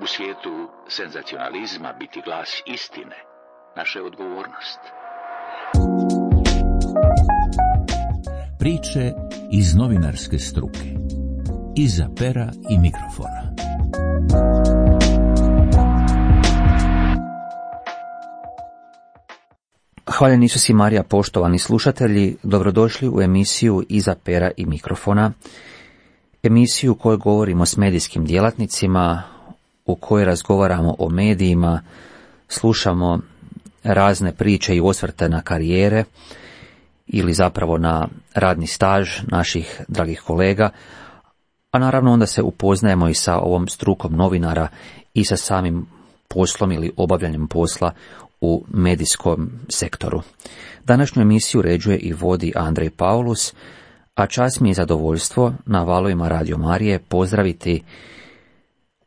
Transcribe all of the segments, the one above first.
U svijetu senzacionalizma biti glas istine, naša je odgovornost. Priče iz novinarske struke. Iza pera i mikrofona. Hvaljeni Isus i Marija, poštovani slušatelji, dobrodošli u emisiju Iza pera i mikrofona, emisiju u kojoj govorimo s medijskim djelatnicima, u kojoj razgovaramo o medijima, slušamo razne priče i osvrte na karijere ili zapravo na radni staž naših dragih kolega, a naravno onda se upoznajemo i sa ovom strukom novinara i sa samim poslom ili obavljanjem posla u medijskom sektoru. Današnju emisiju uređuje i vodi Andrej Paulus, a čast mi je zadovoljstvo na valovima Radio Marije pozdraviti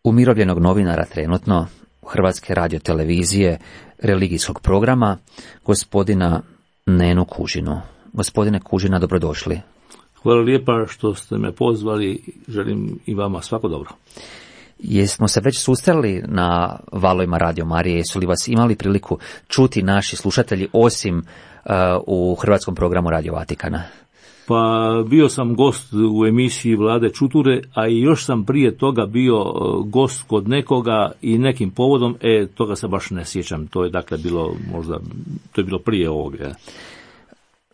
umirovljenog novinara trenutno Hrvatske radiotelevizije religijskog programa, gospodina Nenu Kužinu. Gospodine Kužina, dobrodošli. Hvala lijepa što ste me pozvali, želim i vama svako dobro. Jesmo se već susreli na valovima Radio Marije, jesu li vas imali priliku čuti naši slušatelji osim u hrvatskom programu Radio Vatikana? Pa bio sam gost u emisiji Vlade Čuture, a i još sam prije toga bio gost kod nekoga i nekim povodom, toga se baš ne sjećam, to je dakle bilo možda, to je bilo prije ovoga.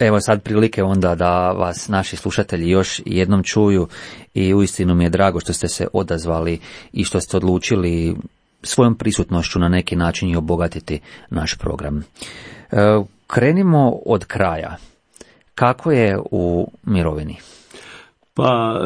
Evo sad prilike onda da vas naši slušatelji još jednom čuju i uistinu mi je drago što ste se odazvali i što ste odlučili svojom prisutnošću na neki način i obogatiti naš program. Krenimo od kraja. Kako je u mirovini? Pa,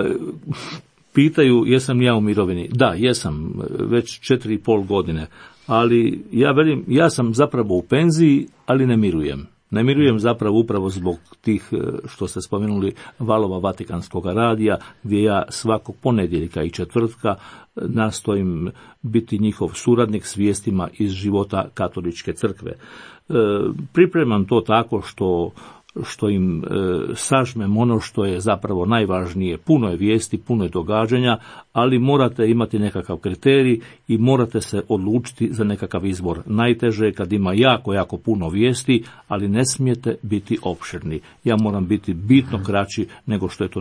pitaju jesam ja u mirovini. Da, jesam, već 4,5 godine, ali ja velim, ja sam zapravo u penziji, ali ne mirujem. Ne mirujem zapravo upravo zbog tih, što ste spomenuli, valova Vatikanskog radija, gdje ja svakog ponedjeljka i četvrtka nastojim biti njihov suradnik s vijestima iz života Katoličke crkve. Pripremam to tako što im sažmem ono što je zapravo najvažnije. Puno je vijesti, puno je događanja, ali morate imati nekakav kriterij i morate se odlučiti za nekakav izbor. Najteže je kad ima jako puno vijesti, ali ne smijete biti opširni. Ja moram biti bitno kraći nego što je to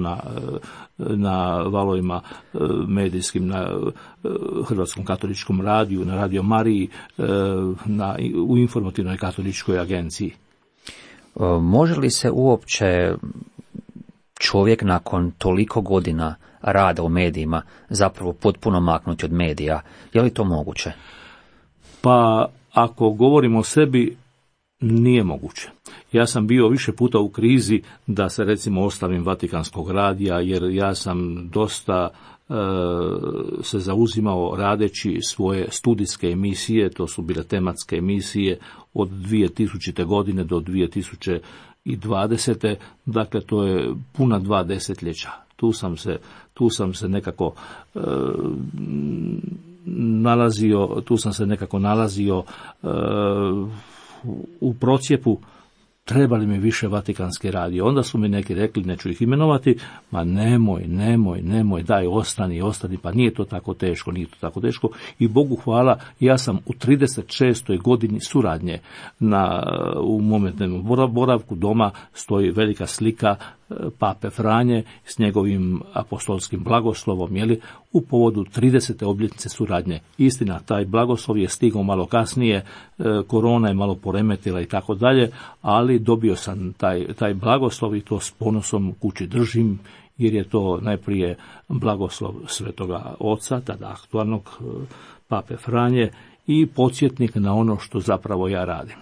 na valovima medijskim, na Hrvatskom katoličkom radiju, na Radio Mariji, u informativnoj katoličkoj agenciji. Može li se uopće čovjek nakon toliko godina rada u medijima zapravo potpuno maknuti od medija? Je li to moguće? Pa, ako govorimo o sebi, nije moguće. Ja sam bio više puta u krizi da se recimo ostavim Vatikanskog radija, jer ja sam dosta se zauzimao radeći svoje studijske emisije, to su bile tematske emisije od 2000. godine do 2020. Dakle, to je puna 2 desetljeća. Tu sam se nekako nalazio u procjepu. Treba li mi više Vatikanski radio? Onda su mi neki rekli, neću ih imenovati, ma nemoj, daj, ostani, pa nije to tako teško. I Bogu hvala, ja sam u 36. godini suradnje u momentnom boravku doma stoji velika slika Pape Franje s njegovim apostolskim blagoslovom, u povodu 30. obljetnice suradnje. Istina, taj blagoslov je stigao malo kasnije, korona je malo poremetila i tako dalje, ali dobio sam taj blagoslov i to s ponosom kući držim, jer je to najprije blagoslov Svetoga Oca, tada aktualnog Pape Franje, i podsjetnik na ono što zapravo ja radim.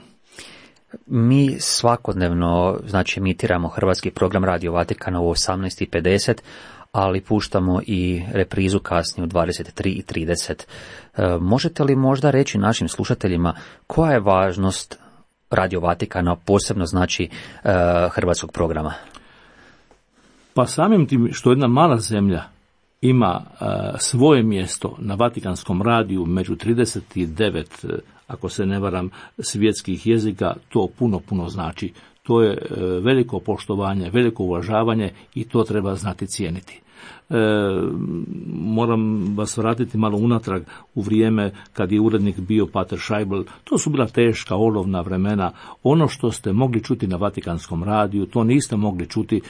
Mi svakodnevno, emitiramo hrvatski program Radio Vatikana u 18:50, ali puštamo i reprizu kasnije u 23:30. Možete li možda reći našim slušateljima koja je važnost Radio Vatikana, posebno hrvatskog programa? Pa samim tim što jedna mala zemlja ima svoje mjesto na Vatikanskom radiju među 39, ako se ne varam, svjetskih jezika, to puno znači. To je veliko poštovanje, veliko uvažavanje i to treba znati cijeniti. Moram vas vratiti malo unatrag u vrijeme kad je urednik bio Pater Scheibel. To su bila teška, olovna vremena. Ono što ste mogli čuti na Vatikanskom radiju, to niste mogli čuti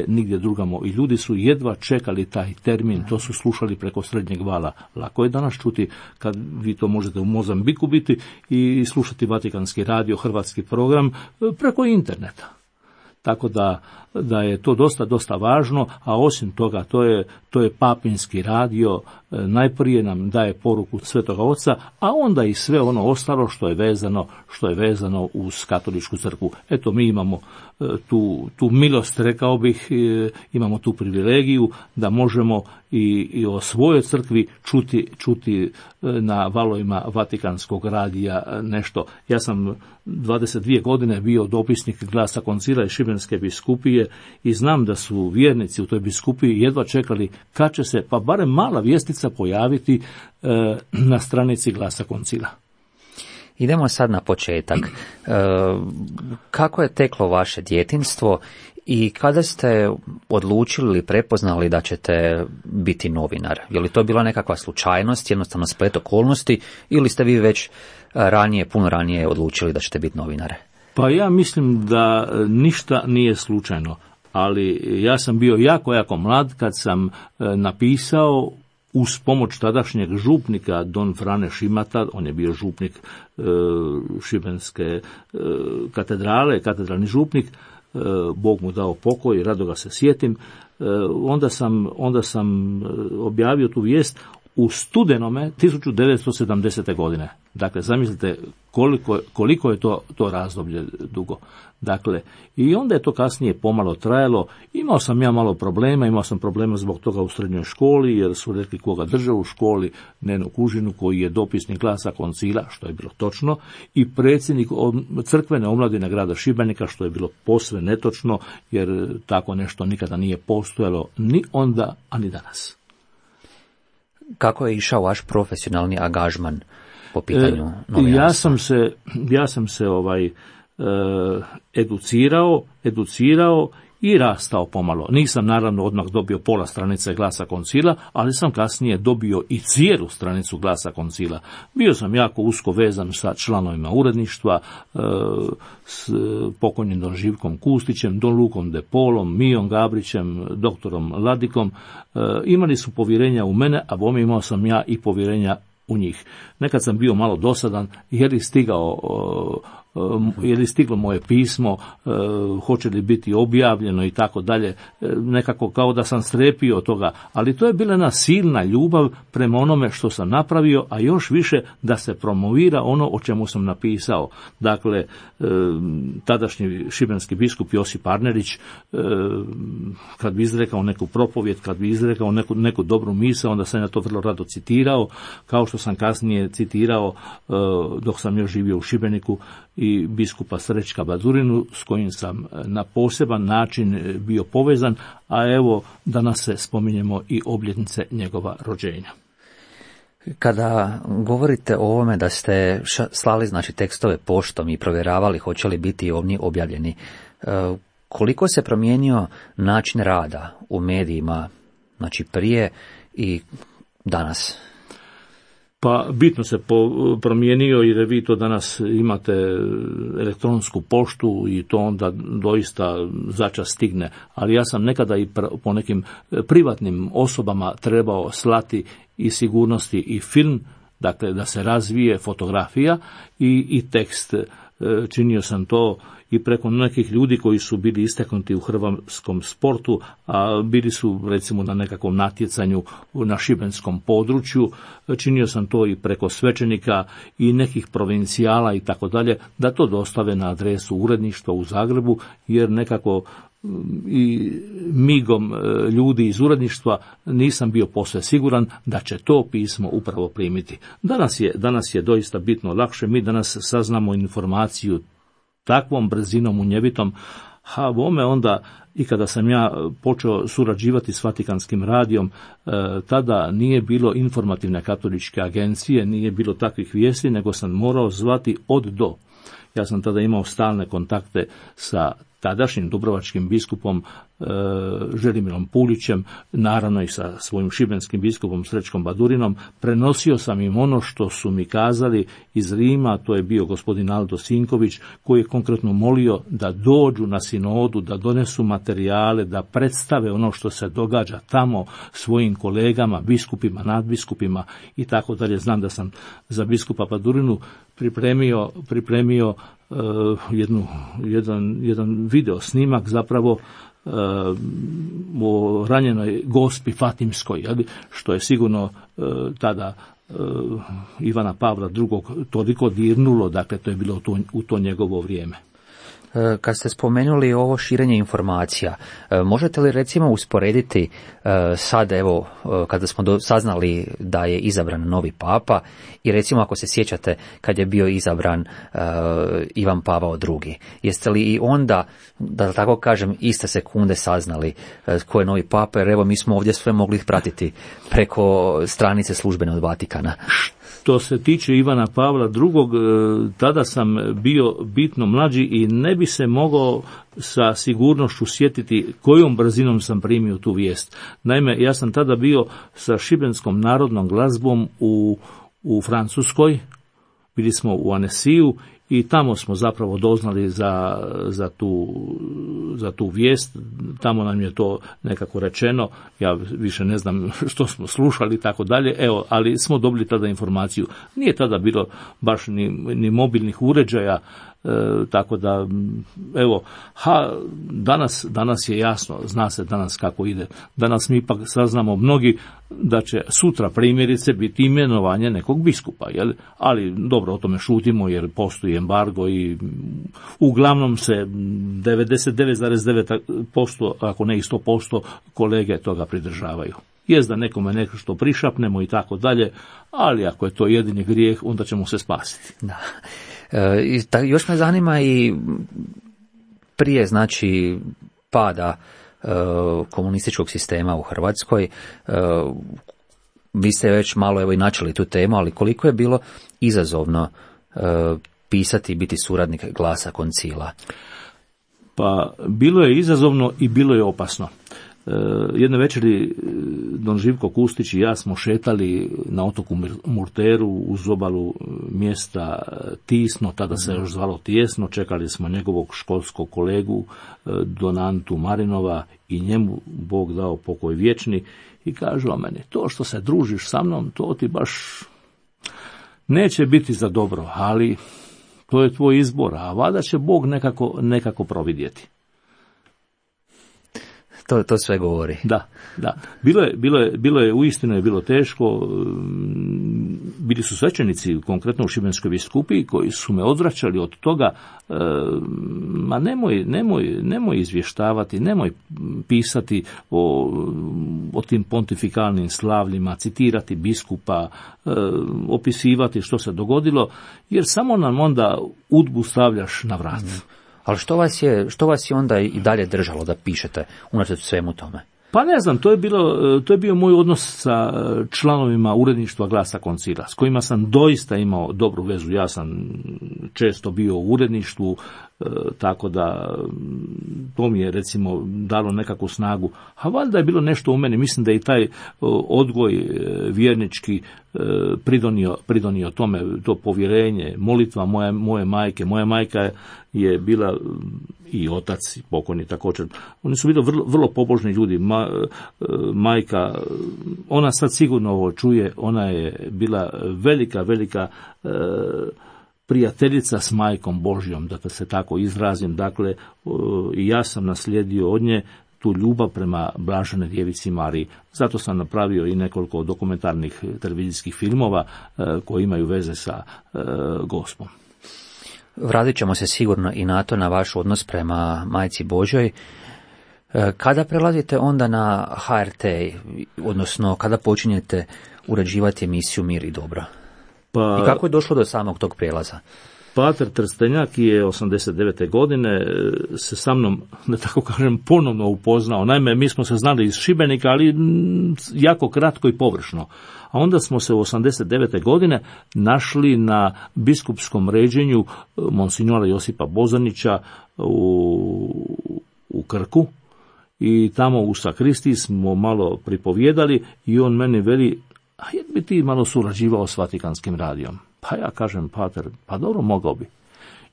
nigdje drugamo. I ljudi su jedva čekali taj termin, to su slušali preko srednjeg vala. Lako je danas čuti kad vi to možete u Mozambiku biti i slušati Vatikanski radio, hrvatski program preko interneta. Tako da je to dosta važno, a osim toga to je papinski radio, najprije nam daje poruku Svetoga Oca, a onda i sve ono ostalo što je vezano uz katoličku crkvu. Eto, mi imamo tu milost, rekao bih, imamo tu privilegiju da možemo i o svojoj crkvi čuti na valovima Vatikanskog radija nešto. Ja sam 22 godine bio dopisnik Glasa Koncila i Šibenske biskupije i znam da su vjernici u toj biskupiji jedva čekali kad će se pa barem mala vijestica pojaviti na stranici Glasa Koncila. Idemo sad na početak. Kako je teklo vaše djetinjstvo i kada ste odlučili ili prepoznali da ćete biti novinar? Je li to bila nekakva slučajnost, jednostavno splet okolnosti, ili ste vi već puno ranije odlučili da ćete biti novinare? Pa ja mislim da ništa nije slučajno, ali ja sam bio jako mlad kad sam napisao uz pomoć tadašnjeg župnika Don Frane Šimata, on je bio župnik Šibenske katedralni župnik, Bog mu dao pokoj, rado ga se sjetim. Onda sam objavio tu vijest u studenome 1970. godine. Dakle, zamislite koliko je to razdoblje dugo. Dakle, i onda je to kasnije pomalo trajalo. Imao sam malo problema zbog toga u srednjoj školi, jer su rekli koga drže u školi, Nenu Kužinu, koji je dopisnik Glasa Koncila, što je bilo točno, i predsjednik crkvene omladine grada Šibenika, što je bilo posve netočno, jer tako nešto nikada nije postojalo ni onda, a ni danas. Kako je išao vaš profesionalni angažman po pitanju novinarstva? Ja sam se educirao i rastao pomalo. Nisam naravno odmah dobio pola stranice Glasa Koncila, ali sam kasnije dobio i cijelu stranicu Glasa Koncila. Bio sam jako usko vezan sa članovima uredništva, s pokojnim Don Živkom Kustićem, Don Lukom De Polom, Mijom Gabrićem, doktorom Ladikom. Imali su povjerenja u mene, a bome imao sam ja i povjerenja u njih. Nekad sam bio malo dosadan jer je stiglo moje pismo, hoće li biti objavljeno i tako dalje, nekako kao da sam strepio od toga, ali to je bila jedna silna ljubav prema onome što sam napravio, a još više da se promovira ono o čemu sam napisao. Dakle, tadašnji šibenski biskup Josip Arnerić, kad bi izrekao neku propovijed, kad bi izrekao neku dobru misao, onda sam ja to vrlo rado citirao, kao što sam kasnije citirao dok sam još živio u Šibeniku i biskupa Srećka Badurinu, s kojim sam na poseban način bio povezan, a evo danas se spominjemo i obljetnice njegova rođenja. Kada govorite o ovome da ste slali tekstove poštom i provjeravali hoće li biti oni objavljeni, koliko se promijenio način rada u medijima, prije i danas? Pa bitno se promijenio, jer vi to danas imate elektronsku poštu i to onda doista začas stigne. Ali ja sam nekada i po nekim privatnim osobama trebao slati i sigurnosti i film, dakle da se razvije fotografija i tekst. Činio sam to i preko nekih ljudi koji su bili istaknuti u hrvatskom sportu, a bili su recimo na nekakvom natjecanju na šibenskom području. Činio sam to i preko svećenika i nekih provincijala i tako dalje, da to dostave na adresu uredništva u Zagrebu, jer nekako i migom ljudi iz uredništva nisam bio posve siguran da će to pismo upravo primiti. Danas je doista bitno lakše. Mi danas saznamo informaciju takvom brzinom munjevitom, a bome onda i kada sam ja počeo surađivati s Vatikanskim radijom, tada nije bilo informativne katoličke agencije, nije bilo takvih vijesti, nego sam morao zvati od do. Ja sam tada imao stalne kontakte sa tadašnjim dubrovačkim biskupom Želimirom Puljićem, naravno i sa svojim šibenskim biskupom Srećkom Badurinom, prenosio sam im ono što su mi kazali iz Rima, to je bio gospodin Aldo Sinković, koji je konkretno molio da dođu na sinodu, da donesu materijale, da predstave ono što se događa tamo svojim kolegama, biskupima, nadbiskupima i tako dalje. Znam da sam za biskupa Badurinu pripremio jedan video snimak zapravo o ranjenoj Gospi Fatimskoj, što je sigurno tada Ivana Pavla II. Toliko dirnulo, dakle to je bilo u to njegovo vrijeme. Kad ste spomenuli ovo širenje informacija, možete li recimo usporediti sad, evo, kada smo saznali da je izabran novi papa i recimo ako se sjećate kad je bio izabran Ivan Pavao II. Jeste li i onda, da tako kažem, iste sekunde saznali ko je novi papa, jer evo mi smo ovdje sve mogli pratiti preko stranice službene od Vatikana. Što se tiče Ivana Pavla II, tada sam bio bitno mlađi i ne bi se mogao sa sigurnošću sjetiti kojom brzinom sam primio tu vijest. Naime, ja sam tada bio sa šibenskom narodnom glazbom u Francuskoj, bili smo u Annecyju i tamo smo zapravo doznali za tu vijest. Tamo nam je to nekako rečeno, ja više ne znam što smo slušali i tako dalje, evo, ali smo dobili tada informaciju. Nije tada bilo baš ni mobilnih uređaja, tako da, evo, danas je jasno, zna se danas kako ide. Danas mi ipak saznamo mnogi da će sutra primjerice biti imenovanje nekog biskupa, jel? Ali dobro, o tome šutimo jer postoji embargo i uglavnom se 99,9%, ako ne i 100% kolege toga pridržavaju. Jest da nekome nešto prišapnemo i tako dalje, ali ako je to jedini grijeh, onda ćemo se spasiti. Da. Još me zanima i prije, znači, pada komunističkog sistema u Hrvatskoj, vi ste već malo evo i načeli tu temu, ali koliko je bilo izazovno pisati i biti suradnik Glasa Koncila? Pa bilo je izazovno i bilo je opasno. Jedne večeri don Živko Kustić i ja smo šetali na otoku Murteru uz obalu mjesta Tisno, tada se još zvalo Tijesno, čekali smo njegovog školskog kolegu don Antu Marinova i njemu Bog dao pokoj vječni i kaže o meni, to što se družiš sa mnom, to ti baš neće biti za dobro, ali to je tvoj izbor, a valjda će Bog nekako providjeti. To sve govori. Da. Bilo je uistinu je bilo teško. Bili su svećenici, konkretno u Šibenskoj biskupiji, koji su me odvraćali od toga, ma nemoj izvještavati, nemoj pisati o tim pontifikalnim slavljima, citirati biskupa, opisivati što se dogodilo, jer samo nam onda udbu stavljaš na vrat. Ali što vas je onda i dalje držalo da pišete unatoč svemu tome? Pa ne znam, to je bio moj odnos sa članovima uredništva Glasa Koncila, s kojima sam doista imao dobru vezu. Ja sam često bio u uredništvu, tako da to mi je recimo dalo nekakvu snagu. A valjda je bilo nešto u meni, mislim da je i taj odgoj vjernički pridonio tome, to povjerenje, molitva moje majke. Moja majka je bila i otac, pokojni također. Oni su bili vrlo pobožni ljudi. Majka, ona sad sigurno ovo čuje, ona je bila velika prijateljica s Majkom Božjom, da se tako izrazim. Dakle, i ja sam naslijedio od nje tu ljubav prema Blaženoj Djevici Mariji. Zato sam napravio i nekoliko dokumentarnih televizijskih filmova koji imaju veze sa Gospom. Vratit ćemo se sigurno i na to, na vaš odnos prema Majci Božjoj. Kada prelazite onda na HRT, odnosno kada počinjete uređivati emisiju Mir i dobro? I kako je došlo do samog tog prijelaza? Pater Trstenjak je 89. godine se sa mnom, da tako kažem, ponovno upoznao. Naime, mi smo se znali iz Šibenika, ali jako kratko i površno. A onda smo se u 89. godine našli na biskupskom ređenju monsignora Josipa Bozanića u Krku i tamo u sakristiji smo malo pripovjedali i on meni veli, a je bi ti malo surađivao s Vatikanskim radijom? Pa ja kažem, pater, pa dobro, mogao bi.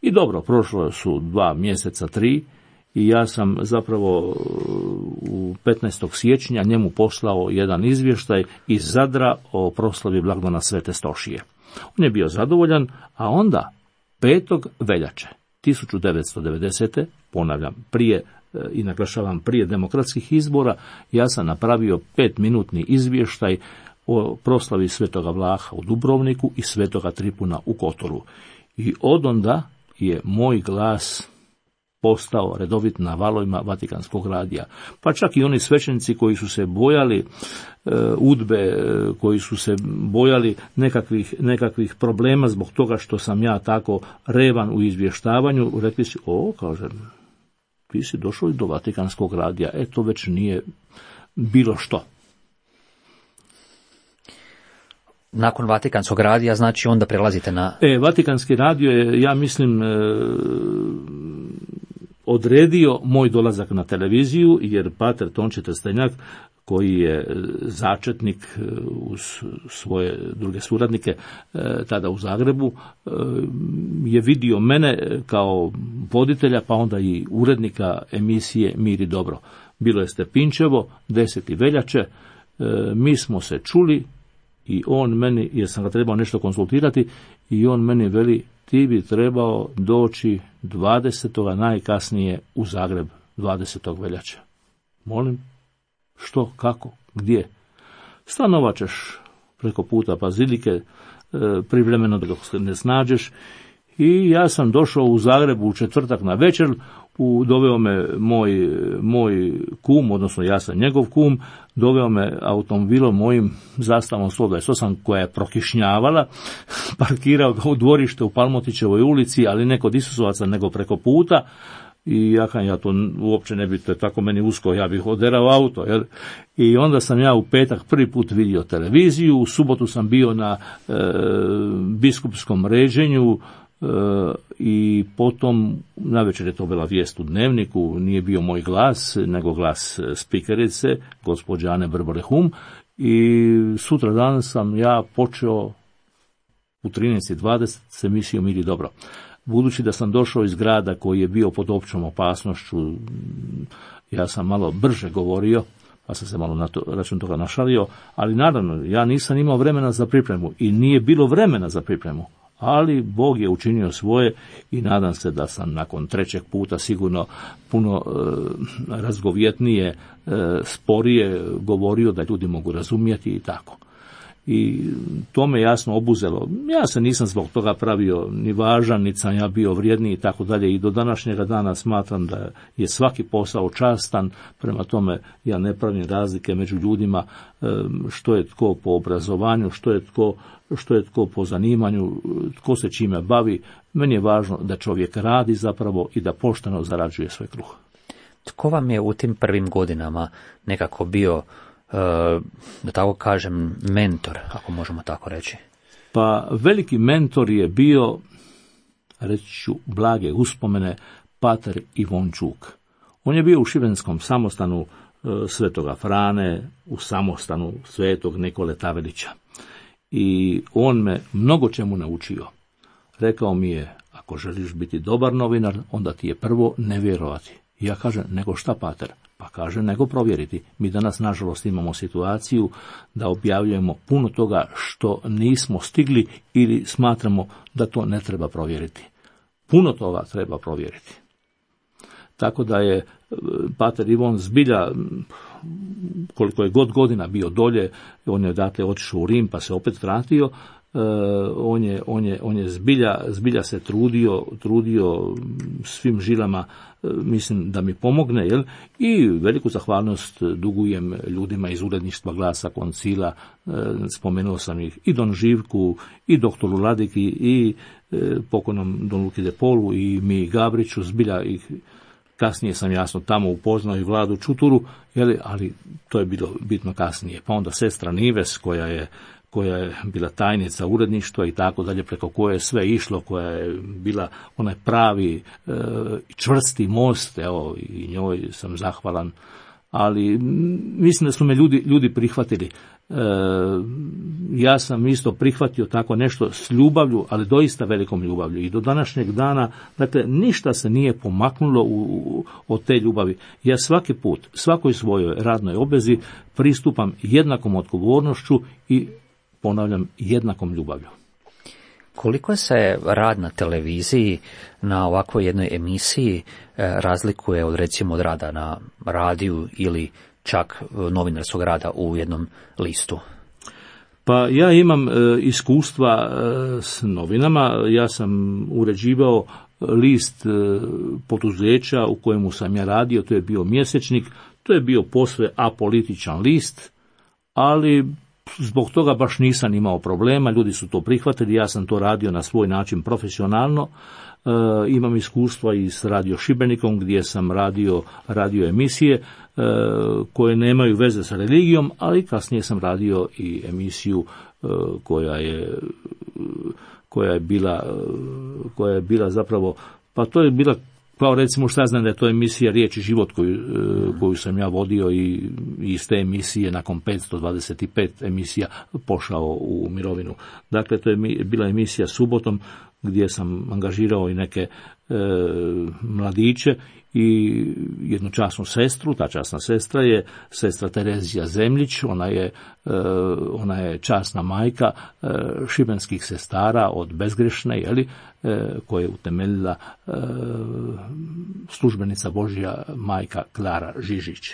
I dobro, prošlo su 2 mjeseca, 3, i ja sam zapravo u 15. siječnja njemu poslao jedan izvještaj iz Zadra o proslavi blagdana Svete Stošije. On je bio zadovoljan, a onda 5. veljače 1990. ponavljam, prije i naglašavam prije demokratskih izbora, ja sam napravio 5-minutni izvještaj o proslavi Svetoga Vlaha u Dubrovniku i Svetoga Tripuna u Kotoru. I odonda je moj glas postao redovit na valovima Vatikanskog radija. Pa čak i oni svećenici koji su se bojali udbe, koji su se bojali nekakvih problema zbog toga što sam ja tako revan u izvještavanju, rekli su, kažem, ti si došao do Vatikanskog radija, to već nije bilo što. Nakon Vatikanskog radija, znači onda prelazite na... Vatikanski radio je, ja mislim, odredio moj dolazak na televiziju, jer pater Tonči Trstenjak, koji je začetnik uz svoje druge suradnike tada u Zagrebu, je vidio mene kao voditelja, pa onda i urednika emisije Mir i dobro. Bilo je Stepinčevo, 10. veljače, mi smo se čuli i on meni, jer sam ga trebao nešto konsultirati, i on meni veli, ti bi trebao doći 20. najkasnije u Zagreb, 20. veljače. Molim, što, kako, gdje? Stanovat ćeš preko puta Bazilike, privremeno dok se ne snađeš. I ja sam došao u Zagrebu u četvrtak na večer, doveo me moj kum, odnosno ja sam njegov kum, doveo me automobilom mojim zastavom 128 koja je prokišnjavala, parkirao ga u dvorište u Palmotićevoj ulici, ali ne kod Isusovaca, nego preko puta. I ja to uopće ne bi, to je tako meni usko, ja bih oderao auto. Jer? I onda sam ja u petak prvi put vidio televiziju, u subotu sam bio na biskupskom ređenju, i potom navečer je to bila vijest u Dnevniku, nije bio moj glas, nego glas spikerice, gospođe Ane Brborehum, i sutra dan sam ja počeo u 13:20 s emisijom Mir i dobro. Budući da sam došao iz grada koji je bio pod općom opasnošću, ja sam malo brže govorio, pa sam se malo na račun toga našalio, ali naravno, ja nisam imao vremena za pripremu i nije bilo vremena za pripremu. Ali Bog je učinio svoje i nadam se da sam nakon 3. puta sigurno puno razgovjetnije, sporije govorio, da ljudi mogu razumjeti i tako. I to me jasno obuzelo. Ja se nisam zbog toga pravio ni važan, niti sam ja bio vrijedniji i tako dalje. I do današnjega dana smatram da je svaki posao častan, prema tome ja ne pravim razlike među ljudima, što je tko po obrazovanju, što je tko po zanimanju, tko se čime bavi. Meni je važno da čovjek radi zapravo i da pošteno zarađuje svoj kruh. Tko vam je u tim prvim godinama nekako bio, da tako kažem, mentor, ako možemo tako reći? Pa veliki mentor je bio, reći ću blage uspomene, pater Ivončuk. On je bio u šibenskom samostanu Svetoga Frane, u samostanu Svetog Nikole Tavelića. I on me mnogo čemu naučio. Rekao mi je, ako želiš biti dobar novinar, onda ti je prvo ne vjerovati. I ja kažem, nego šta, pater? Pa kaže, nego provjeriti. Mi danas, nažalost, imamo situaciju da objavljujemo puno toga što nismo stigli ili smatramo da to ne treba provjeriti. Puno toga treba provjeriti. Tako da je pater Ivon zbilja, koliko je godina bio dolje, on je dakle otišao u Rim pa se opet vratio, on je zbilja se trudio svim žilama, mislim, da mi pomogne, jel? I veliku zahvalnost dugujem ljudima iz uredništva Glasa Koncila, spomenuo sam ih, i Don Živku, i doktoru Ladiki, i pokojnom Don Luki de Polu, i mi Gabriću, zbilja ih. Kasnije sam jasno tamo upoznao i Vladu Čuturu, ali to je bilo bitno kasnije. Pa onda sestra Nives, koja je bila tajnica uredništva i tako dalje, preko koje je sve išlo, koja je bila onaj pravi čvrsti most, evo, i njoj sam zahvalan ali mislim da su me ljudi prihvatili. Ja sam isto prihvatio tako nešto s ljubavlju, ali doista velikom ljubavlju. I do današnjeg dana, dakle, ništa se nije pomaknulo od te ljubavi. Ja svaki put, svakoj svojoj radnoj obvezi pristupam jednakom odgovornošću i, ponavljam, jednakom ljubavlju. Koliko se rad na televiziji, na ovakvoj jednoj emisiji, razlikuje od, recimo, od rada na radiju ili čak novinarskog rada u jednom listu? Pa ja imam iskustva s novinama. Ja sam uređivao list poduzeća u kojemu sam ja radio, to je bio mjesečnik, to je bio posve apolitičan list, ali zbog toga baš nisam imao problema, ljudi su to prihvatili, ja sam to radio na svoj način profesionalno. Imam iskustva i s Radio Šibenikom gdje sam radio emisije koje nemaju veze sa religijom, ali kasnije sam radio i emisiju koja je bila zapravo, pa to je bila, kao recimo, šta znam da je to emisija Riječ i život koju sam ja vodio i iz te emisije nakon 525 emisija pošao u mirovinu. Dakle, to je bila emisija subotom gdje sam angažirao i neke mladiće i jednu časnu sestru. Ta časna sestra je sestra Terezija Zemljić, ona je časna majka šibenskih sestara od Bezgrešne, koje je utemeljila službenica Božja majka Klara Žižić.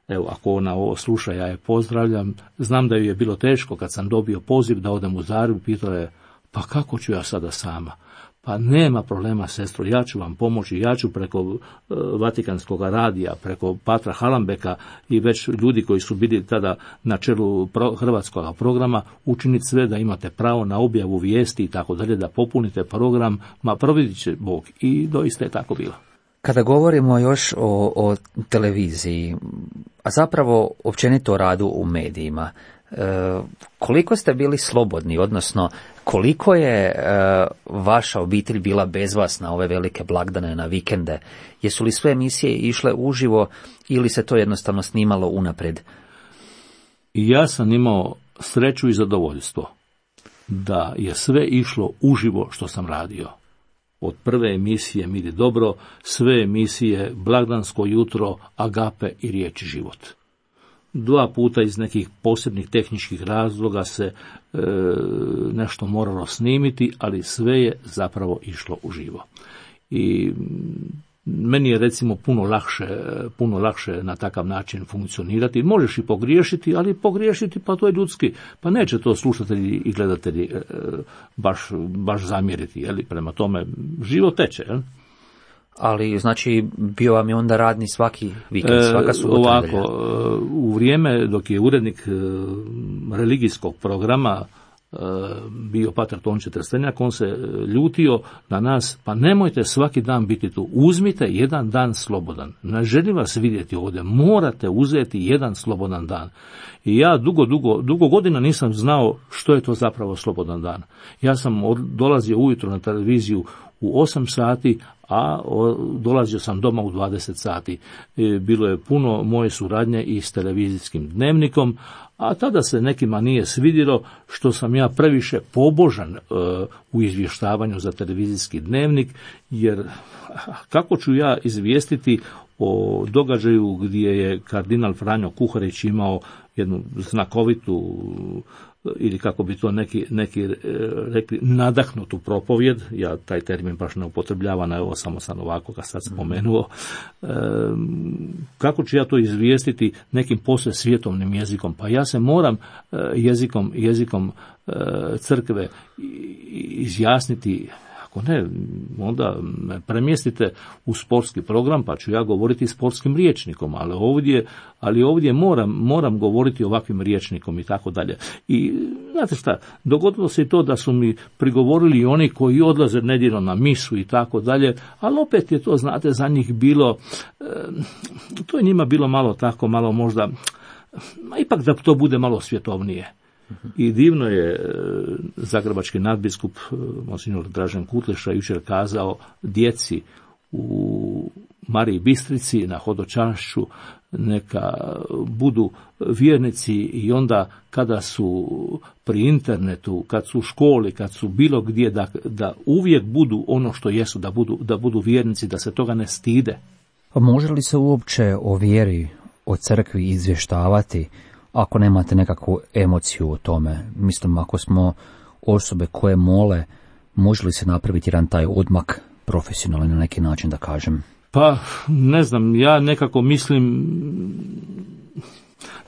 Evo, ako ona ovo sluša, ja je pozdravljam. Znam da ju je bilo teško kad sam dobio poziv da odem u Zagreb, pitala je, pa kako ću ja sada sama? Pa nema problema, sestro, ja ću vam pomoći, ja ću preko Vatikanskog radija, preko Patra Halambeka i već ljudi koji su bili tada na čelu hrvatskog programa učiniti sve da imate pravo na objavu vijesti i tako dalje, da popunite program, ma providit će Bog. I doista je tako bilo. Kada govorimo još o televiziji, a zapravo općenito o radu u medijima, koliko ste bili slobodni, odnosno koliko je vaša obitelj bila bez vas na ove velike blagdane, na vikende? Jesu li sve emisije išle uživo ili se to jednostavno snimalo unaprijed? Ja sam imao sreću i zadovoljstvo da je sve išlo uživo što sam radio. Od prve emisije Miri dobro, sve emisije Blagdansko jutro, Agape i Riječ i život. 2 puta iz nekih posebnih tehničkih razloga se nešto moralo snimiti, ali sve je zapravo išlo uživo. I meni je recimo puno lakše na takav način funkcionirati. Možeš i pogriješiti, ali pogriješiti pa to je ljudski. Pa neće to slušatelji i gledatelji baš zamjeriti. Prema tome život teče. Ali, znači, bio vam je onda radni svaki vikend, svaka subota? Ovako, u vrijeme dok je urednik religijskog programa bio pater Tonče Trstenjak, on se ljutio na nas, pa nemojte svaki dan biti tu, uzmite jedan dan slobodan. Ne želim vas vidjeti ovdje, morate uzeti jedan slobodan dan. I ja dugo godina nisam znao što je to zapravo slobodan dan. Ja sam dolazio ujutro na televiziju u 8 sati, a dolazio sam doma u 20 sati. Bilo je puno moje suradnje i s televizijskim dnevnikom, a tada se nekima nije svidjelo što sam ja previše pobožan u izvještavanju za televizijski dnevnik, jer kako ću ja izvijestiti o događaju gdje je kardinal Franjo Kuharić imao jednu znakovitu, ili kako bi to neki rekli, nadahnutu propovjed, ja taj termin baš ne upotrebljavam, evo samo sam ovako ga sad spomenuo, kako ću ja to izvijestiti nekim posve svjetovnim jezikom? Pa ja se moram jezikom crkve izjasniti. Ako ne, onda me premjestite u sportski program, pa ću ja govoriti sportskim rječnikom, ali ovdje moram govoriti ovakvim rječnikom i tako dalje. I znate šta, dogodilo se i to da su mi prigovorili oni koji odlaze nedjeljom na misu i tako dalje, ali opet je to, znate, za njih bilo, to je njima bilo malo možda, ipak da to bude malo svjetovnije. I divno je zagrebački nadbiskup monsignor Dražen Kutleša jučer kazao djeci u Mariji Bistrici na hodočašću neka budu vjernici i onda kada su pri internetu, kad su u školi, kad su bilo gdje, da uvijek budu ono što jesu, da budu vjernici, da se toga ne stide. Pa može li se uopće o vjeri, o crkvi izvještavati ako nemate nekakvu emociju o tome? Mislim, ako smo osobe koje mole, može li se napraviti jedan taj odmak profesionalni na neki način, da kažem? Pa, ne znam, ja nekako mislim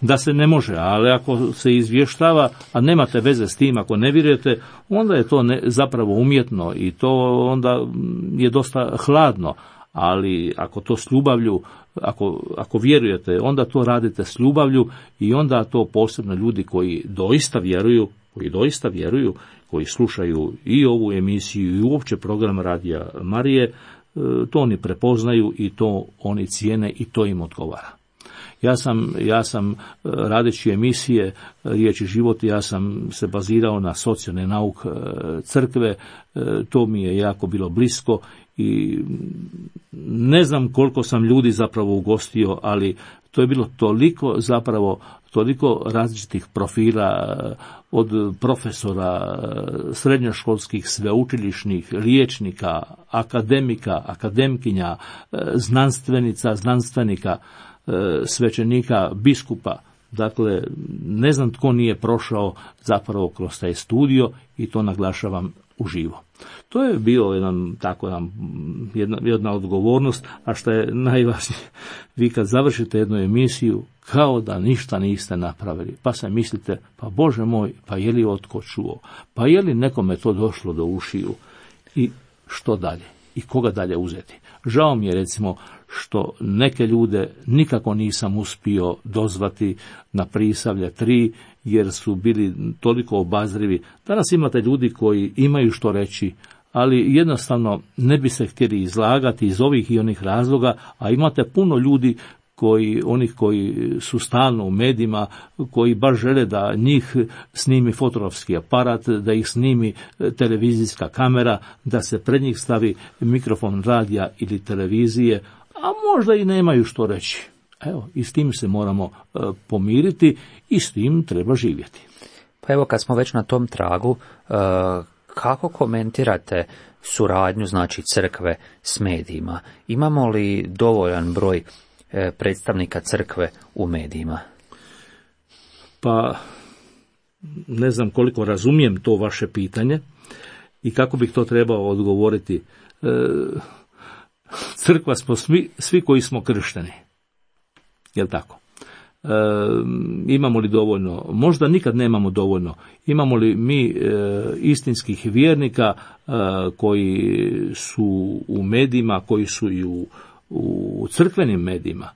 da se ne može, ali ako se izvještava, a nemate veze s tim, ako ne vjerujete, onda je to zapravo umjetno i to onda je dosta hladno, ali ako to s ljubavlju, ako vjerujete, onda to radite s ljubavlju i onda to posebno ljudi koji doista vjeruju, koji slušaju i ovu emisiju i uopće program Radija Marije, to oni prepoznaju i to oni cijene i to im odgovara. Ja sam radeći emisije Riječ i život, ja sam se bazirao na socijalni nauk crkve, to mi je jako bilo blisko i ne znam koliko sam ljudi zapravo ugostio, ali to je bilo toliko različitih profila, od profesora, srednjoškolskih, sveučilišnih, liječnika, akademika, akademkinja, znanstvenika, svećenika, biskupa. Dakle, ne znam tko nije prošao zapravo kroz taj studio i to naglašavam uživo. To je bio jedna odgovornost, a što je najvažnije, vi kad završite jednu emisiju, kao da ništa niste napravili, pa se mislite, pa Bože moj, pa je li otko čuo, pa je li nekome to došlo do ušiju i što dalje i koga dalje uzeti. Žao mi je recimo što neke ljude nikako nisam uspio dozvati na Prisavlje 3, jer su bili toliko obazrivi. Danas imate ljudi koji imaju što reći, ali jednostavno ne bi se htjeli izlagati iz ovih i onih razloga, a imate puno ljudi onih koji su stalno u medijima, koji baš žele da njih snimi fotografski aparat, da ih snimi televizijska kamera, da se pred njih stavi mikrofon radija ili televizije, a možda i nemaju što reći. Evo, i s tim se moramo pomiriti i s tim treba živjeti. Pa evo, kad smo već na tom tragu, kako komentirate suradnju, znači, crkve s medijima? Imamo li dovoljan broj predstavnika crkve u medijima? Pa, ne znam koliko razumijem to vaše pitanje i kako bih to trebao odgovoriti. Crkva smo svi koji smo kršteni. Jel' tako? Imamo li dovoljno? Možda nikad nemamo dovoljno. Imamo li mi istinskih vjernika koji su u medijima, koji su i u crkvenim medijima?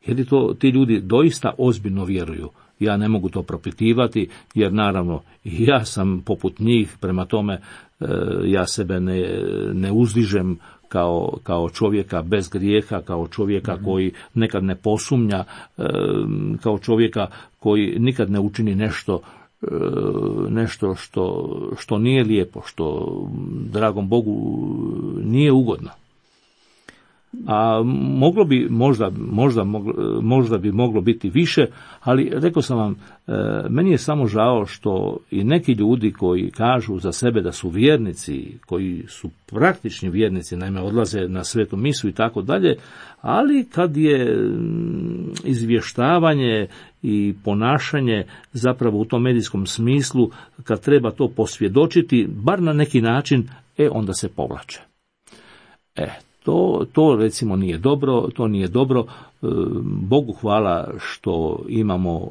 Je li to ti ljudi doista ozbiljno vjeruju? Ja ne mogu to propitivati, jer naravno ja sam poput njih, prema tome ja sebe ne uzdižem kao čovjeka bez grijeha, kao čovjeka koji nekad ne posumnja, kao čovjeka koji nikad ne učini nešto što nije lijepo, što dragom Bogu nije ugodno. A moglo bi, možda bi moglo biti više, ali rekao sam vam, meni je samo žao što i neki ljudi koji kažu za sebe da su vjernici, koji su praktični vjernici, naime odlaze na svetu misu i tako dalje, ali kad je izvještavanje i ponašanje zapravo u tom medijskom smislu, kad treba to posvjedočiti, bar na neki način, onda se povlače. To recimo nije dobro, to nije dobro. Bogu hvala što imamo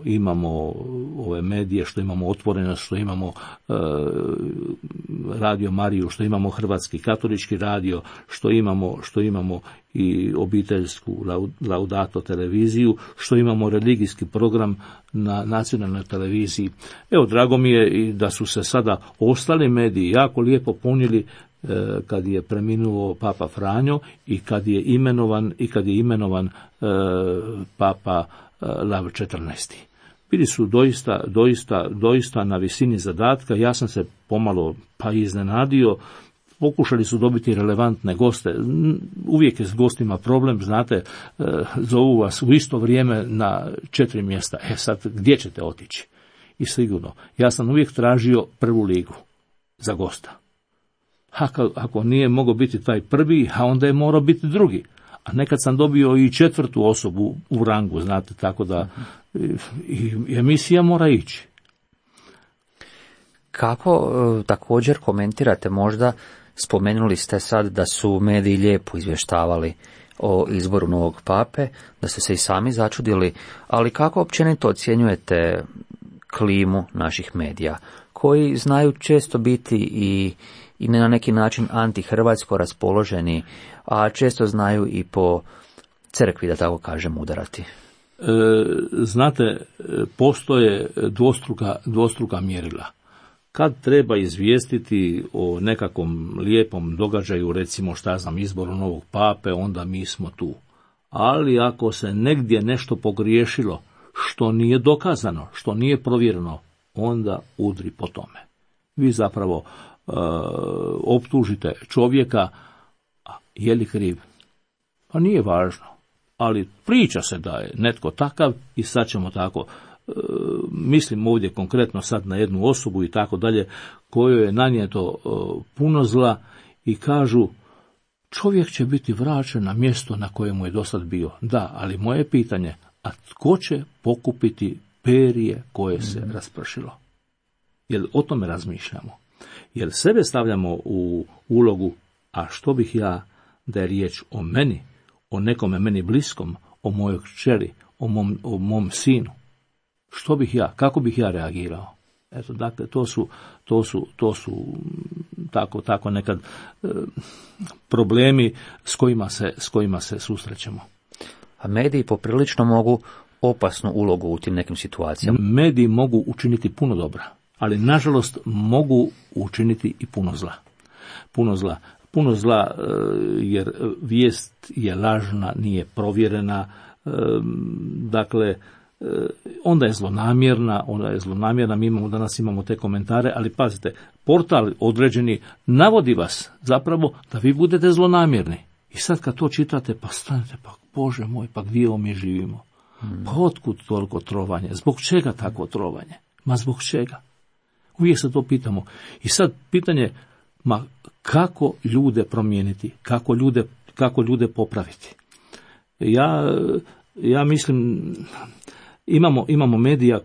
ove medije, što imamo Otvorenost, što imamo Radio Mariju, što imamo Hrvatski katolički radio, što imamo i obiteljsku Laudato televiziju, što imamo religijski program na nacionalnoj televiziji. Evo, drago mi je i da su se sada ostali mediji jako lijepo punili kad je preminuo Papa Franjo i kad je imenovan Papa Lav 14. Bili su doista na visini zadatka. Ja sam se pomalo pa iznenadio. pokušali su dobiti relevantne goste. Uvijek je s gostima problem, znate, zovu vas u isto vrijeme na 4 mjesta. Sad, gdje ćete otići? I sigurno, ja sam uvijek tražio prvu ligu za gosta. Ako nije mogao biti taj prvi, a onda je morao biti drugi. A nekad sam dobio i 4. osobu u rangu, znate, tako da i emisija mora ići. Kako također komentirate, možda spomenuli ste sad da su mediji lijepo izvještavali o izboru novog pape, da ste se i sami začudili, ali kako općenito ocjenjujete klimu naših medija, koji znaju često biti i na neki način antihrvatsko raspoloženi, a često znaju i po crkvi, da tako kažem, udarati? Znate, postoje dvostruka mjerila. Kad treba izvijestiti o nekakvom lijepom događaju, recimo izboru novog pape, onda mi smo tu. Ali ako se negdje nešto pogriješilo, što nije dokazano, što nije provjereno, onda udri po tome. Vi zapravo optužite čovjeka, a je li kriv? Pa nije važno, ali priča se da je netko takav i sad ćemo tako, mislim ovdje konkretno sad na jednu osobu i tako dalje, kojoj je nanijeto puno zla i kažu čovjek će biti vraćen na mjesto na kojemu je dosad bio. Da, ali moje pitanje, a tko će pokupiti perje koje se raspršilo? Jer o tome razmišljamo. Jer sebe stavljamo u ulogu, a što bih ja da je riječ o meni, o nekome meni bliskom, o mojoj kćeri, o mom sinu. Što bih ja, kako bih ja reagirao? Eto, dakle, to su tako nekad problemi s kojima se susrećemo. A mediji poprilično mogu opasnu ulogu u tim nekim situacijama. Mediji mogu učiniti puno dobra, ali nažalost mogu učiniti i puno zla. Puno zla jer vijest je lažna, nije provjerena, dakle, onda je zlonamjerna, mi danas imamo te komentare, ali pazite, portal određeni navodi vas zapravo da vi budete zlonamjerni. I sad kad to čitate, pa stanete, pa Bože moj, pa gdje mi živimo? Pa otkud toliko trovanje? Zbog čega takvo trovanje? Ma zbog čega? Uvijek se to pitamo. I sad pitanje, kako ljude promijeniti? Kako ljude popraviti? Ja mislim, imamo medija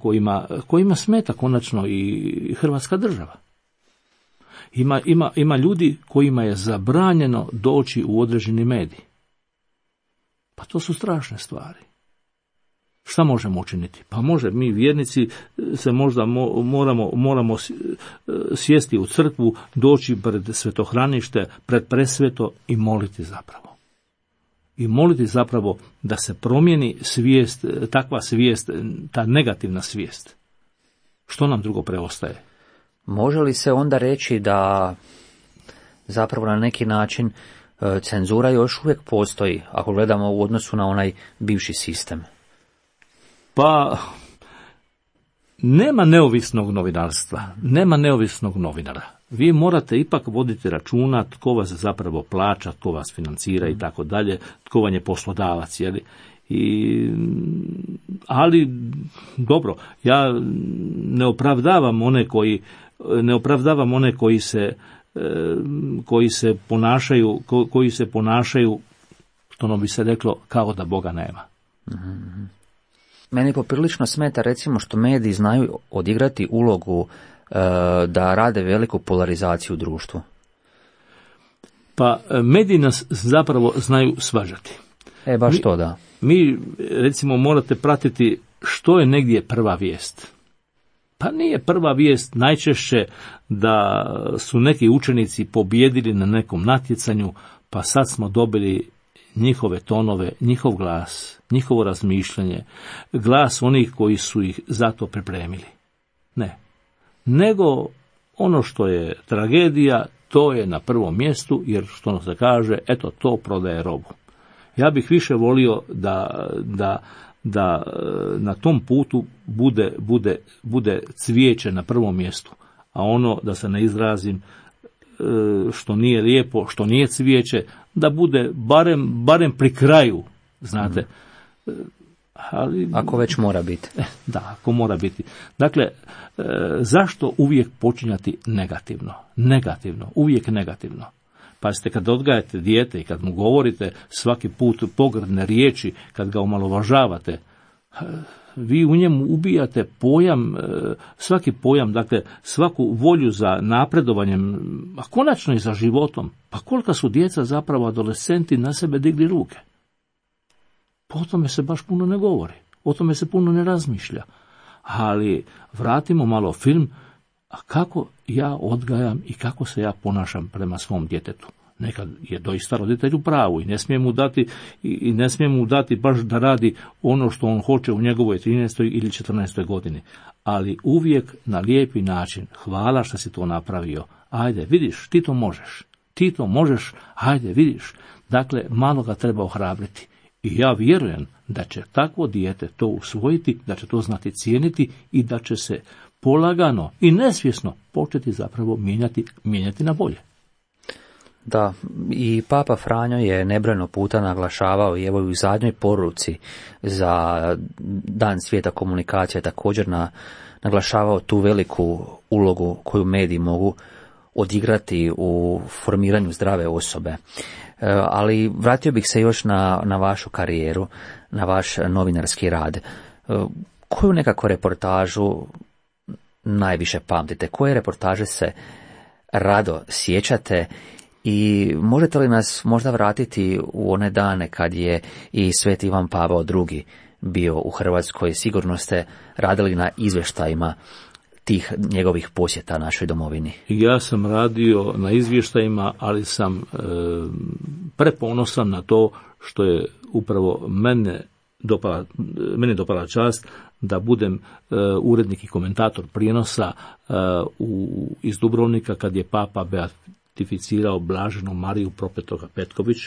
kojima smeta konačno i Hrvatska država. Ima ljudi kojima je zabranjeno doći u određeni medij. Pa to su strašne stvari. Šta možemo učiniti? Pa mi vjernici se možda moramo sjesti u crkvu, doći pred svetohranište, pred presveto i moliti zapravo. I moliti zapravo da se promijeni svijest, takva svijest, ta negativna svijest. Što nam drugo preostaje? Može li se onda reći da zapravo na neki način cenzura još uvijek postoji, ako gledamo u odnosu na onaj bivši sistem? Pa, nema neovisnog novinarstva, nema neovisnog novinara. Vi morate ipak voditi računa tko vas zapravo plaća, tko vas financira i tako dalje, tko vam je poslodavac, jeli? Ali, dobro, ja ne opravdavam one koji se ponašaju, što bi se reklo, kao da Boga nema. Mm-hmm. Meni poprilično smeta, recimo, što mediji znaju odigrati ulogu da rade veliku polarizaciju u društvu. Pa mediji nas zapravo znaju svađati. Baš to da. Mi, recimo, morate pratiti što je negdje prva vijest. Pa nije prva vijest najčešće da su neki učenici pobijedili na nekom natjecanju, pa sad smo dobili njihove tonove, njihov glas, njihovo razmišljanje, glas onih koji su ih zato pripremili. Ne. Nego ono što je tragedija, to je na prvom mjestu, jer što se kaže, eto, to prodaje robu. Ja bih više volio da na tom putu bude cvijeće na prvom mjestu, a ono, da se ne izrazim, što nije lijepo, što nije cvijeće, da bude barem pri kraju, znate. Ali, ako već mora biti. Da, ako mora biti. Dakle, zašto uvijek počinjati negativno? Negativno, uvijek negativno. Pazite, kad odgajate dijete i kad mu govorite svaki put pogrdne riječi, kad ga omalovažavate, vi u njemu ubijate pojam, svaki pojam, dakle, svaku volju za napredovanjem, a konačno i za životom. Pa kolika su djeca zapravo adolescenti na sebe digli ruke? Pa o tome se baš puno ne govori, o tome se puno ne razmišlja. Ali vratimo malo film, a kako ja odgajam i kako se ja ponašam prema svom djetetu. Nekad je doista roditelj u pravu i ne smije mu dati baš da radi ono što on hoće u njegovoj 13. ili 14. godini. Ali uvijek na lijepi način, hvala što si to napravio, ajde vidiš, ti to možeš, ajde vidiš. Dakle, malo ga treba ohrabriti. I ja vjerujem da će takvo dijete to usvojiti, da će to znati cijeniti i da će se polagano i nesvjesno početi zapravo mijenjati na bolje. Da, i Papa Franjo je nebrojeno puta naglašavao i evo u zadnjoj poruci za Dan svijeta komunikacije također naglašavao tu veliku ulogu koju mediji mogu odigrati u formiranju zdrave osobe. Ali vratio bih se još na vašu karijeru, na vaš novinarski rad. Koju nekako reportažu najviše pamtite? Koje reportaže se rado sjećate? I možete li nas možda vratiti u one dane kad je i Sveti Ivan Pavao II bio u Hrvatskoj? Sigurno ste radili na izvještajima tih njegovih posjeta našoj domovini. Ja sam radio na izvještajima, ali sam preponosan na to što je upravo meni dopala čast da budem urednik i komentator prijenosa iz Dubrovnika kad je Papa beatificirao Blaženu Mariju Propetoga Petković,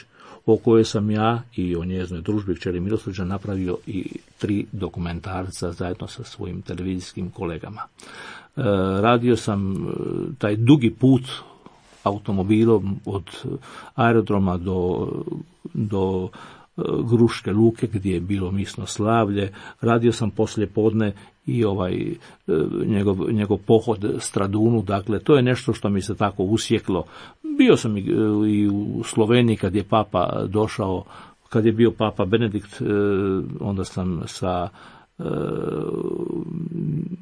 o kojoj sam ja i o njezinoj družbi kćeri Milosrđa napravio i 3 dokumentarca zajedno sa svojim televizijskim kolegama. Radio sam taj dugi put automobilom od aerodroma do Gruške luke gdje je bilo misno slavlje. Radio sam poslijepodne i njegov pohod Stradunu, dakle to je nešto što mi se tako usjeklo. Bio sam i u Sloveniji kad je Papa došao, kad je bio Papa Benedikt, onda sam sa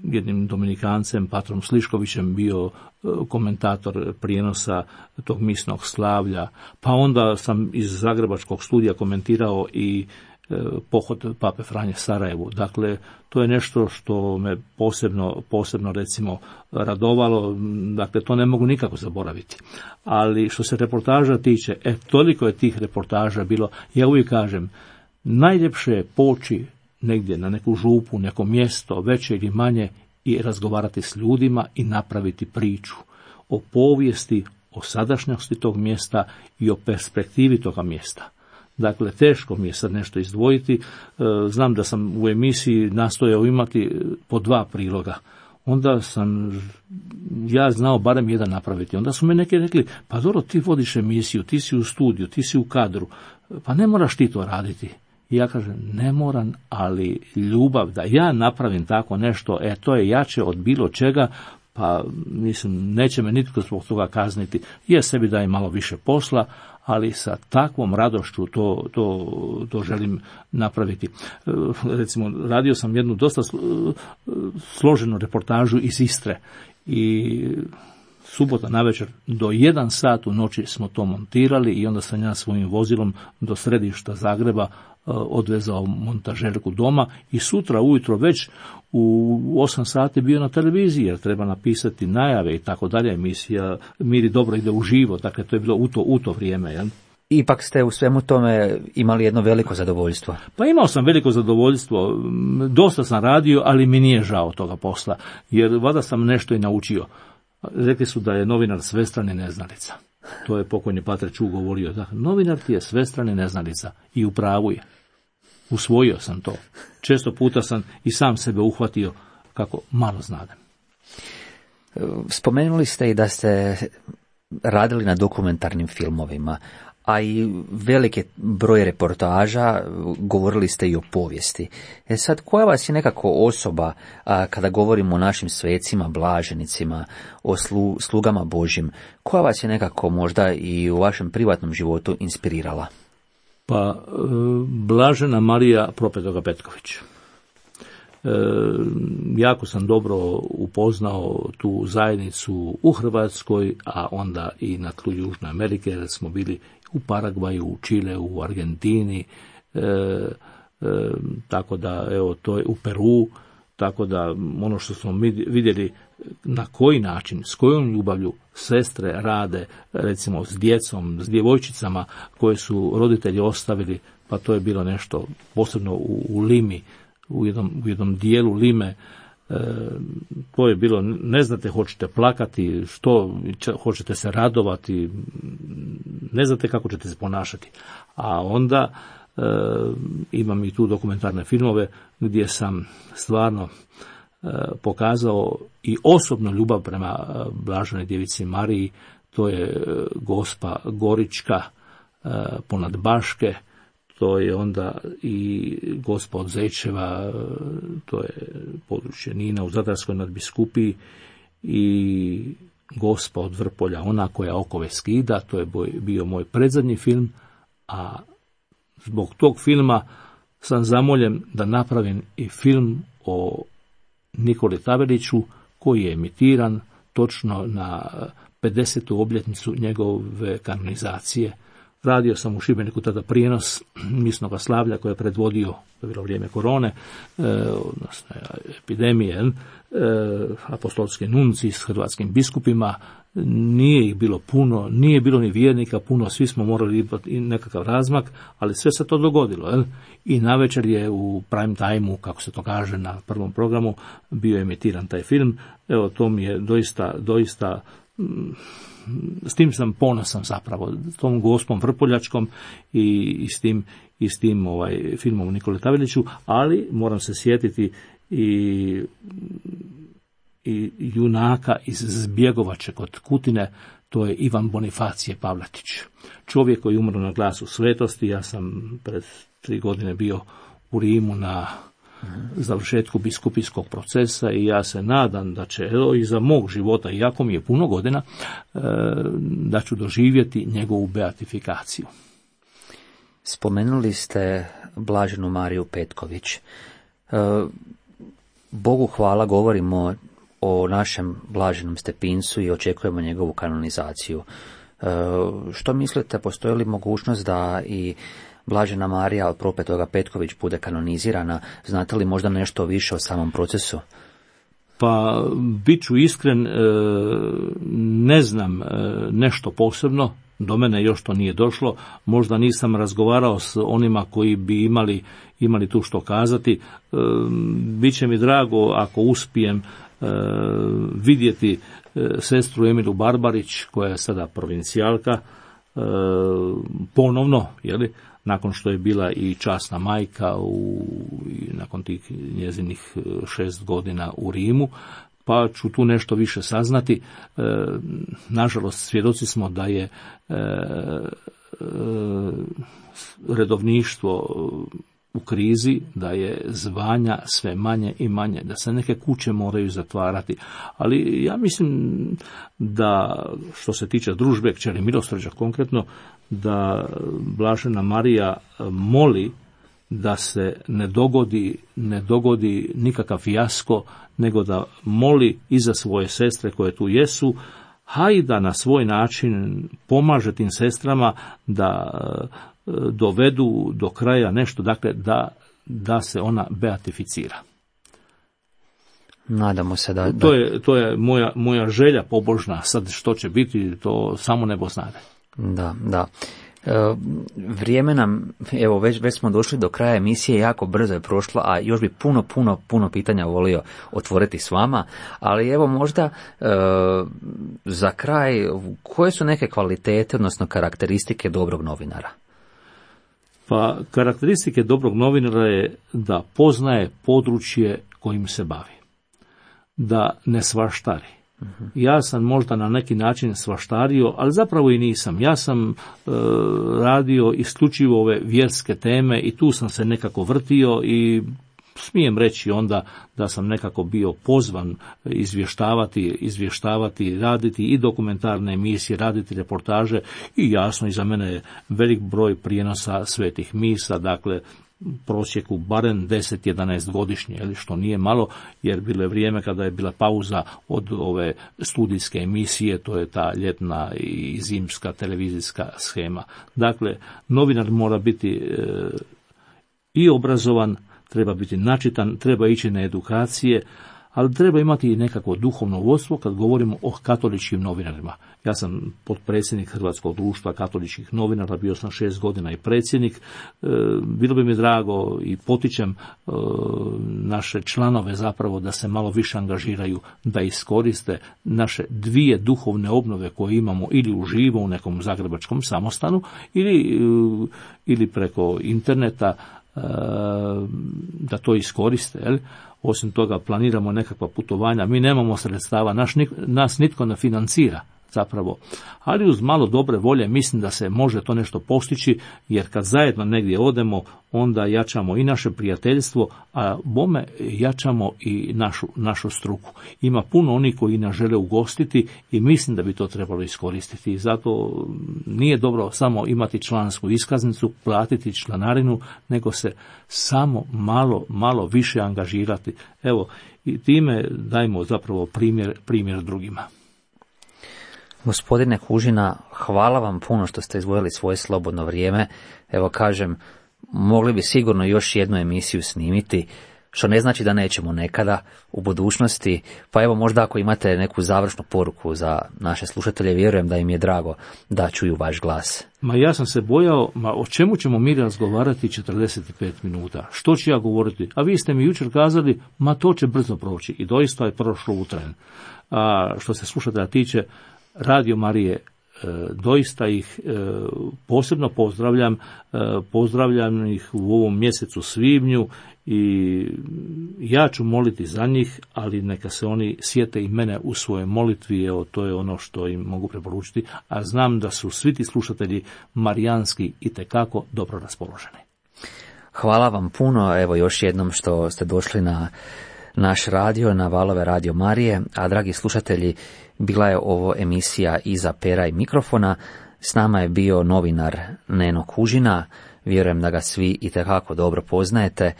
jednim Dominikancem, Patrom Sliškovićem, bio komentator prijenosa tog misnog slavlja, pa onda sam iz Zagrebačkog studija komentirao i pohod Pape Franje Sarajevu. Dakle, to je nešto što me posebno recimo radovalo, dakle to ne mogu nikako zaboraviti. Ali što se reportaža tiče, toliko je tih reportaža bilo, ja uvijek kažem, najljepše je poći negdje na neku župu, neko mjesto, veće ili manje, i razgovarati s ljudima i napraviti priču o povijesti, o sadašnjosti tog mjesta i o perspektivi toga mjesta. Dakle, teško mi je sad nešto izdvojiti. Znam da sam u emisiji nastojao imati po 2 priloga. Onda sam ja znao barem jedan napraviti. Onda su me neki rekli, pa dobro, ti vodiš emisiju, ti si u studiju, ti si u kadru, pa ne moraš ti to raditi. I ja kažem, ne moram, ali ljubav da ja napravim tako nešto, to je jače od bilo čega, pa mislim, neće me nitko zbog toga kazniti. Ja sebi dajem malo više posla, ali sa takvom radošću to želim napraviti. Recimo, radio sam jednu dosta složenu reportažu iz Istre i subota navečer do 1 sat u noći smo to montirali i onda sam ja svojim vozilom do središta Zagreba odvezao montažerku doma i sutra ujutro već u 8 sati bio na televiziji jer treba napisati najave i tako dalje. Emisija Miri dobro ide uživo, dakle to je bilo u to vrijeme. Jel? Ipak ste u svemu tome imali jedno veliko zadovoljstvo. Pa imao sam veliko zadovoljstvo, dosta sam radio, ali mi nije žao toga posla, jer vada sam nešto i naučio. Rekli su da je novinar svestran i neznalica. To je pokojni Pater Ču govorio. Da, novinar ti je svestran i neznalica i u pravu je. Usvojio sam to. Često puta sam i sam sebe uhvatio kako malo znadem. Spomenuli ste i da ste radili na dokumentarnim filmovima, a i veliki broj reportaža, govorili ste i o povijesti. Sad, koja vas je nekako osoba, kada govorimo o našim svecima, blaženicima, o slugama Božjim, koja vas je nekako možda i u vašem privatnom životu inspirirala? Pa, blažena Marija Propetoga Petković. Jako sam dobro upoznao tu zajednicu u Hrvatskoj, a onda i na tlu Južne Amerike, jer smo bili u Paragvaju, u Čileu, u Argentini, tako da, evo, to je u Peru, tako da ono što smo vidjeli na koji način, s kojom ljubavlju sestre rade, recimo s djecom, s djevojčicama koje su roditelji ostavili, pa to je bilo nešto posebno u Limi, u jednom dijelu Lime. To je bilo, ne znate, hoćete plakati, što hoćete se radovati, ne znate kako ćete se ponašati. A onda imam i tu dokumentarne filmove gdje sam stvarno pokazao i osobnu ljubav prema blaženoj djevici Mariji. To je Gospa Gorička ponad Baške, to je onda i Gospa od Zečeva, to je područje Nina u Zadarskoj nadbiskupiji, i Gospa od Vrpolja, ona koja okove skida, to je bio moj predzadnji film, a zbog tog filma sam zamoljen da napravim i film o Nikoli Taveliću, koji je emitiran točno na 50. obljetnicu njegove kanonizacije. Radio sam u Šibeniku tada prijenos misnoga slavlja koje je predvodio, to je bilo vrijeme korone, odnosno epidemije, apostolski nunci s hrvatskim biskupima. Nije ih bilo puno, nije bilo ni vjernika puno, svi smo morali imati nekakav razmak, ali sve se to dogodilo. I navečer je u prime time-u, kako se to kaže na prvom programu, bio emitiran taj film. Evo, to mi je doista s tim sam ponosan zapravo, tom Gospom Vrpoljačkom i s tim filmom o Nikoli Taveliću, ali moram se sjetiti i junaka iz Zbjegovače kod Kutine, to je Ivan Bonifacije Pavletić. Čovjek koji je umro na glasu svetosti. Ja sam pred 3 godine bio u Rimu na završetku biskupijskog procesa i ja se nadam da će i za mog života, iako mi je puno godina, da ću doživjeti njegovu beatifikaciju. Spomenuli ste blaženu Mariju Petković. Bogu hvala, govorimo o našem blaženom Stepincu i očekujemo njegovu kanonizaciju. Što mislite, postoji li mogućnost da i blažena Marija od Propetoga Petković bude kanonizirana? Znate li možda nešto više o samom procesu? Pa, bit ću iskren, ne znam nešto posebno, do mene još to nije došlo, možda nisam razgovarao s onima koji bi imali tu što kazati. Biće mi drago ako uspijem vidjeti sestru Emilu Barbarić, koja je sada provincijalka, ponovno, nakon što je bila i časna majka nakon tih njezinih 6 godina u Rimu, pa ću tu nešto više saznati. Nažalost, svjedoci smo da je redovništvo u krizi, da je zvanja sve manje i manje, da se neke kuće moraju zatvarati. Ali ja mislim da, što se tiče družbe kćeri milosrđa konkretno, da blažena Marija moli da se ne dogodi nikakav fijasko, nego da moli i za svoje sestre koje tu jesu, a i da na svoj način pomaže tim sestrama da dovedu do kraja nešto, dakle da se ona beatificira. Nadamo se da... To je moja želja pobožna, sad što će biti, to samo nebo znade. Da. Vrijeme nam, evo već smo došli do kraja emisije, jako brzo je prošlo, a još bi puno pitanja volio otvoriti s vama, ali evo možda za kraj, koje su neke kvalitete, odnosno karakteristike dobrog novinara? Pa karakteristike dobrog novinara je da poznaje područje kojim se bavi, da ne svaštari, Ja sam možda na neki način svaštario, ali zapravo i nisam. Ja sam radio isključivo ove vjerske teme i tu sam se nekako vrtio i smijem reći onda da sam nekako bio pozvan izvještavati, raditi i dokumentarne emisije, raditi reportaže i jasno iza mene je velik broj prijenosa svetih misa, dakle prosjeku barem 10-11 godišnje, što nije malo, jer bilo je vrijeme kada je bila pauza od ove studijske emisije, to je ta ljetna i zimska televizijska shema. Dakle, novinar mora biti i obrazovan, treba biti načitan, treba ići na edukacije, ali treba imati i nekako duhovno vodstvo kad govorimo o katoličkim novinarima. Ja sam potpredsjednik Hrvatskog društva katoličkih novinara, bio sam 6 godina i predsjednik. Bilo bi mi drago i potičem naše članove zapravo da se malo više angažiraju, da iskoriste naše 2 duhovne obnove koje imamo ili uživo u nekom zagrebačkom samostanu ili preko interneta, da to iskoriste. Jel? Osim toga planiramo nekakva putovanja, mi nemamo sredstava, nas nitko ne financira zapravo, ali uz malo dobre volje mislim da se može to nešto postići, jer kad zajedno negdje odemo, onda jačamo i naše prijateljstvo, a bome jačamo i našu struku. Ima puno onih koji nas žele ugostiti i mislim da bi to trebalo iskoristiti. I zato nije dobro samo imati člansku iskaznicu, platiti članarinu, nego se samo malo više angažirati. Evo, i time dajmo zapravo primjer drugima. Gospodine Kužina, hvala vam puno što ste izdvojili svoje slobodno vrijeme. Evo kažem, mogli bi sigurno još jednu emisiju snimiti, što ne znači da nećemo nekada u budućnosti. Pa evo možda ako imate neku završnu poruku za naše slušatelje, vjerujem da im je drago da čuju vaš glas. Ma ja sam se bojao, o čemu ćemo mi razgovarati 45 minuta? Što ću ja govoriti? A vi ste mi jučer kazali, to će brzo proći. I doista je prošlo u tren. A što se slušatelja tiče, Radio Marije, doista ih posebno pozdravljam ih u ovom mjesecu svibnju i ja ću moliti za njih, ali neka se oni sjete i mene u svojoj molitvi, evo to je ono što im mogu preporučiti, a znam da su svi ti slušatelji marijanski itekako dobro raspoloženi. Hvala vam puno, evo još jednom što ste došli na naš radio, na valove Radio Marije, a dragi slušatelji, bila je ovo emisija Iza pera i mikrofona. S nama je bio novinar Neno Kužina, vjerujem da ga svi itekako dobro poznajete,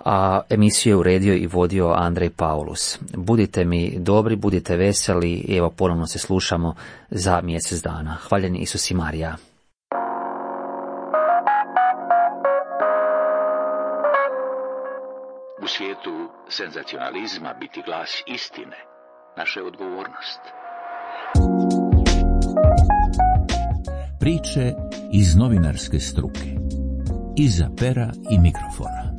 a emisiju je uredio i vodio Andrej Paulus. Budite mi dobri, budite veseli i evo ponovno se slušamo za mjesec dana. Hvaljen Isus i Marija. U svijetu senzacionalizma biti glas istine, naša je odgovornost. Priče iz novinarske struke. Iza pera i mikrofona.